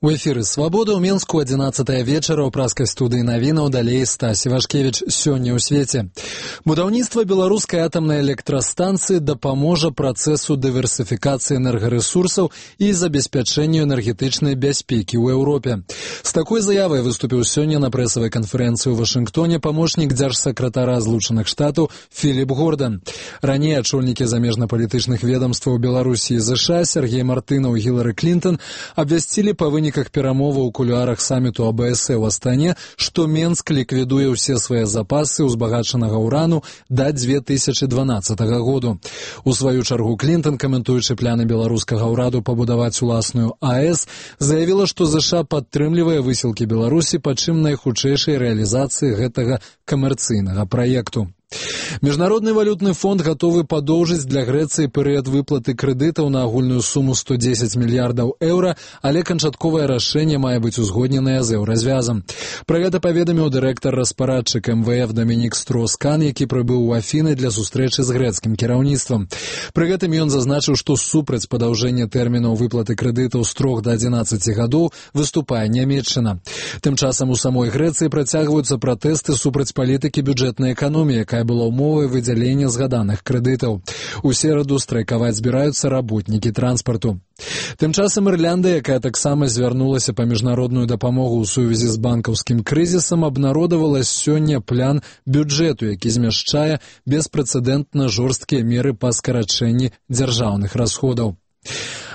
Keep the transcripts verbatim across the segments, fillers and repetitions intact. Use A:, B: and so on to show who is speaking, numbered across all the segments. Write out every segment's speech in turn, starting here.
A: У эфіры «Свабода» ў Менску адзінаццатая вечара ў праскай студыі навінаў, далей Стась Івашкевіч. Сёння ў свеце. Будаўніцтва беларускай атамнай электрастанцыі дапаможа працэсу дыверсіфікацыі энергарэсурсаў і забеспячэнню энергетычнай бяспекі ў Еўропе. З такой заявай выступіў сёння на прэсавай канферэнцыі ў Вашынгтоне памочнік дзяржсакратара Злучаных Штатаў Філіп Гордан. Раней ачольнікі замежнапалітычных ведамстваў Беларусі і ЗША Сергей Мартынаў і Гілары Клінтон абвясцілі па выніках перамоваў у кулуарах саміту АБС ў Астане, што Менск ліквідуе ўсе свае запасы ўзбагачанага ўрану да дзве тысячы дванаццатага году. У сваю чаргу Клінтон, каментуючы пляны беларускага ўраду пабудаваць уласную АЭС, заявіла, што ЗША падтрымлівае высілкі Беларусі па чым найхутчэйшай рэалізацыі гэтага камерцыйнага праекту. Міжнародны валютны фонд гатовы падоўжыць для Грэцыі перыяд выплаты крэдытаў на агульную суму сто дзесяць мільярдаў еўра, але канчатковае рашэнне мае быць узгодненае з еўразвязам. Пра гэта паведаміў дырэктар-распарадчык эм вэ эф Дамінік Строс-Кан, які прыбыў у Афіны для сустрэчы з грэцкім кіраўніцтвам. Пры гэтым ён зазначыў, што супраць падаўжэння тэрмінаў выплаты крэдытаў з трох да адзінаццаці гадоў выступае Нямецчына. Тым часам у самой Грэцыі працягваюцца пратэсты супраць палітыкі бюджэтнай эканоміі, якая была ўмовай выдзялення згаданых крэдытаў. У сераду страйкаваць збіраюцца работнікі транспарту. Тым часам Ірляндыя, якая таксама звярнулася па міжнародную дапамогу ў сувязі з банкаўскім крызісам, абнародавала сёння план бюджэту, які змяшчае беспрэцэдэнтна жорсткія меры па скарачэнні дзяржаўных расходаў.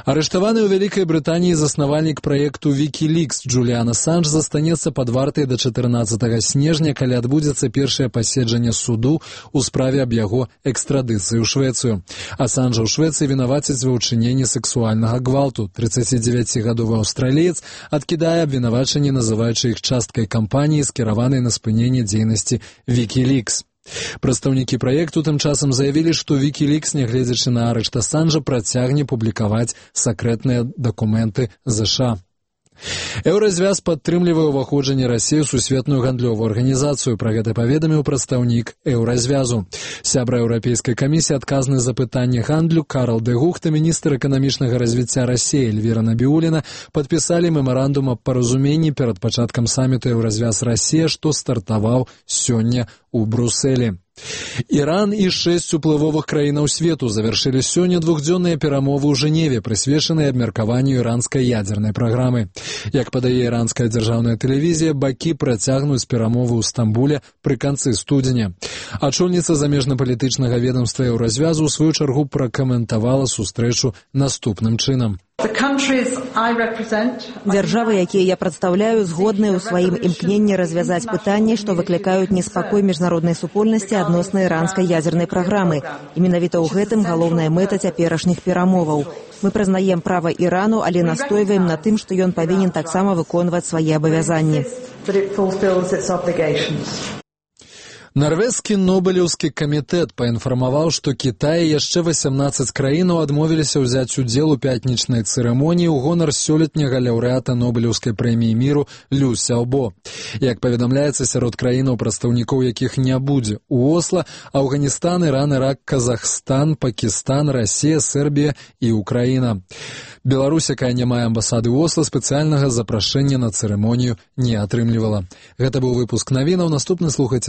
A: Арыштаваны ў Вялікай Брытаніі заснавальнік праекту Wikileaks Джуліан Асанж застанецца пад вартай да чатырнаццатага снежня, калі адбудзецца першае паседжанне суду ў справе аб яго экстрадыцыі ў Швецыю. Асанжа ў Швецыі вінавацяць ва ўчыненні сексуальнага гвалту. трыццацідзевяцігадовы аўстраліец адкідае абвінавачанні, называючы іх часткай кампаніі, скіраванай на спыненне дзейнасці Wikileaks. Прадстаўнікі праекту тым часам заявілі, што Wikileaks, нягледзячы на арышт Асанжа, працягне публікаваць сакрэтныя дакументы ЗША. Еўразвяз падтрымлівае ўваходжанне Расіі ў сусветную гандлёвую арганізацыю. Пра гэта паведаміў прадстаўнік Еўразвязу. Сябра Еўрапейскай камісіі, адказны за пытанне гандлю Карл де Гухт і міністр эканамічнага развіцця Расіі Эльвіра Набіуліна падпісалі мемарандум аб паразуменні перад пачаткам саміту Еўразвяз-Расія, што стартаваў сёння у Брусэлі. Іран і шэсць уплывовых краінаў свету завяршылі сёння двухдзённыя перамовы ў Жэневе, прысвечаныя абмеркаванню іранскай ядзернай праграмы. Як падае іранская дзяржаўная тэлевізія, бакі працягнуць перамовы ў Стамбуле пры канцы студзеня. Ачольніца замежнапалітычнага ведамства Еўразвязу ў сваю чаргу пракаментавала сустрэчу наступным чынам.
B: Дзяржавы, якія я прадстаўляю, згодныя ў сваім імкненні развязаць пытанні, што выклікаюць неспакой міжнароднай супольнасці адносна іранскай ядзернай праграмы. І менавіта ў гэтым галоўная мэта цяперашніх перамоваў. Мы прызнаем права Ірану, але настойваем на тым, што ён павінен таксама выконваць свае абавязанні.
A: Нарвежскі Нобелеўскі камітэт паінфармаваў, што Кітай і яшчэ васямнаццаць краінаў адмовіліся ўзяць удзел у пятнічнай цырымоніі ў гонар сёлетняга лаўрэата Нобелеўскай прэміі міру Лю Сяобо. Як паведамляецца, сярод краінаў, прадстаўнікоў якіх не будзе у Осла, Афганістан, Іран, Ірак, Казахстан, Пакістан, Расія, Сербія і Украіна. Беларусь, якая не мае амбасады ў Осла, спецыяльнага запрашэння на цырымонію не атрымлівала. Гэта быў выпуск навінаў. Наступны слухайце.